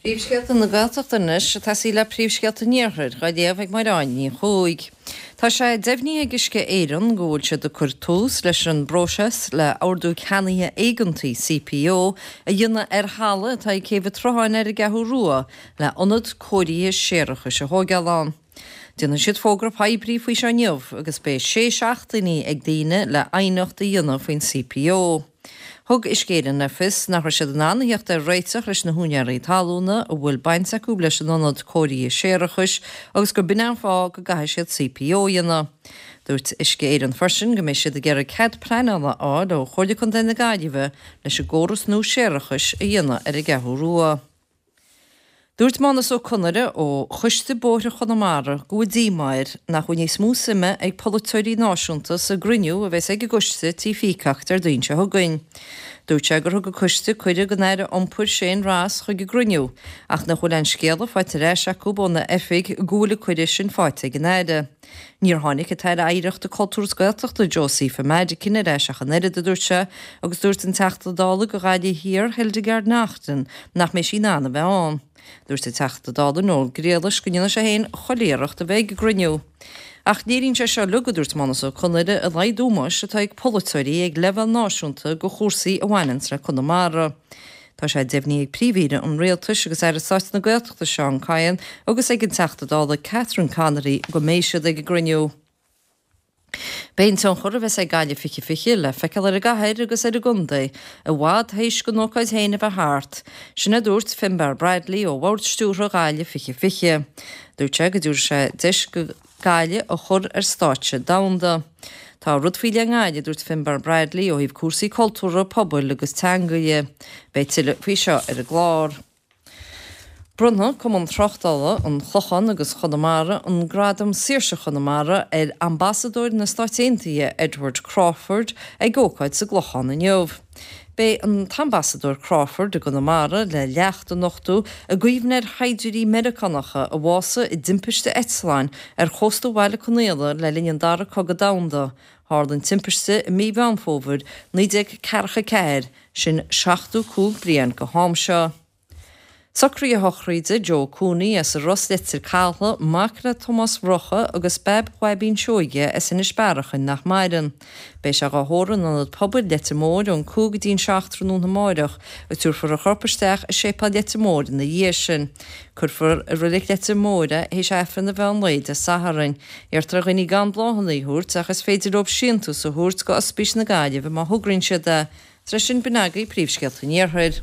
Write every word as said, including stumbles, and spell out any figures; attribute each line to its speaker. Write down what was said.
Speaker 1: Príomhscéalta na Gaeltachta anois, ag tosaí le Príomhscéalta an Iarthair, dhá léamh ag Máire Áine Ní Chuaig. Tá sé deimhnithe ag Uisce Éireann go bhfuil siad ag cur tús leis an bpróiseas le Ordú Ceannaithe Éigeantaí, CPO, a dhéanamh ar thalamh atá ag Céibh an tSrutháin ar an gCeathrú Rua le ionad cóirithe séarachais a thóigeáil ann. Déanfaidh siad fógra poiblí faoi seo inniu agus beidh sé seachtainí ag daoine le aighneacht a dhéanamh faoin CPO. Thug Uisce Éireann le fios nach raibh siad in ann a theacht ar réiteach leis na húinéirí talúna a bhfuil baint acu leis an ionad cóirithe séarachais agus gur b'in an fáth go gcaithfidh siad CPO a dhéanamh. Dúirt Uisce Éireann freisin go mbeidh siad ag iarraidh cead pleanála a fháil ó Chomhairle Contae na Gaillimhe leis an gcóras nua séarachais a dhéanamh ar an gCeathrú Rua. Dúirt Mánus Ó Conaire ó Choiste Bóithre Chonamara go bhfuil díomá air nach bhfuil níos mó suime ag polaiteoirí náisiúnta sa gcruinniú a bheas ag an gcoiste Tí Peacock Déardaoin seo chugainn. Dúirt sé gur thug an coiste cuireadh don Aire Iompair Shane Ross chuig an gcruinniú ach nach bhfuil aon scéala faighte ar ais acu óna oifig go bhfuil an cuireadh sin faighte ag an Aire. Níor tháinig an tAire Oidhreachta, Cultúir is Gaeltachta Josepha Madigan ar ais ach an oiread, a dúirt sé, agus dúirt an Teachta Dála do Ghaillimh Thiar Hildegarde Naughton nach mbeidh sí in ann a bheith ann. Dúirt an Teachta Dála Noel Grealish go ndéanfaidh sé féin chuile iarracht a bheith ag an gcruinniú. Ach léiríonn sé seo uilig, a dúirt Mánus Ó Conaire, a laghad ómóis atá ag polaiteoirí ag leibhéal náisiúnta do chúrsaí a bhaineanns le Conamara. Tá sé deimhnithe ag Príomh-Aoire an Rialtais agus Aire Stáit na Gaeltachta Seán Kyne agus ag an Teachta Dála Catherine Connolly go mbeidh siad ag an gcruinniú. Beidh an tionchar a bheas ag Gaillimh fiche fiche le feiceáil ar an gcathair agus ar an gcontae i bhfad théis don ócáid féin a bheith thart. Sin a dúirt Finbarr Bradley ó Bhord Stiúrtha Ghaillimh fiche fiche. Dúirt sé go dtabharfaidh sé deis do Ghaillimh a chur ar stáitse domhanda. Tá rud faoi leith i nGaillimh, a dúirt Finbarr Bradley, ó thaobh cúrsaí cultúrtha, pobail agus teanga dhe. Beidh tuilleadh faoi seo ar an gclár. Bronnfaidh Cumann Tráchtála an Chlocháin agus Chonamara an Gradam Saoirse Chonamara ar Ambasadóir na Stáit Aontaithe Edward Crawford ag ócáid sa gClochán inniu. Beidh an tAmbasadóir Crawford i gConamara le leacht a nochtadh i gcuimhne ar shaighdiúirí Meiriceánacha a bhásaigh i dtimpiste eitleáin ar chósta Bhaile Conaola le linn an Dara Cogadh Domhanda. Tharla an timpiste i mí Mheán Fómhair naoi déag ceathracha ceathair, sin seachtó cúig bliain go ham seo. Socruithe sochraide Joe Cooney as an Ros Leitir Cathail, mac le Tomás Mhurchadha agus Bab Bhaibín Seoige as Inis Bearachain nach maireann. Beidh sé dhá thórramh in Ionad Pobail Leitir Móir ón cúig go dtí an seacht tráthnóna amáireach agus tabharfar a chorp isteach i Séipéal Leitir Móir ina dhiaidh sin. Cuirfear i Reilig Leitir Móir é théis Aifreann an mheán lae Dé Sathairn. Iarrtar ar dhaoine gan bláthanna a thabhairt ach is féidir leo síntiús a thabhairt go Ospís na Gaillimhe má thograíonn siad é. Tar éis sin b'in agaibh príomhscéalta an Iarthair.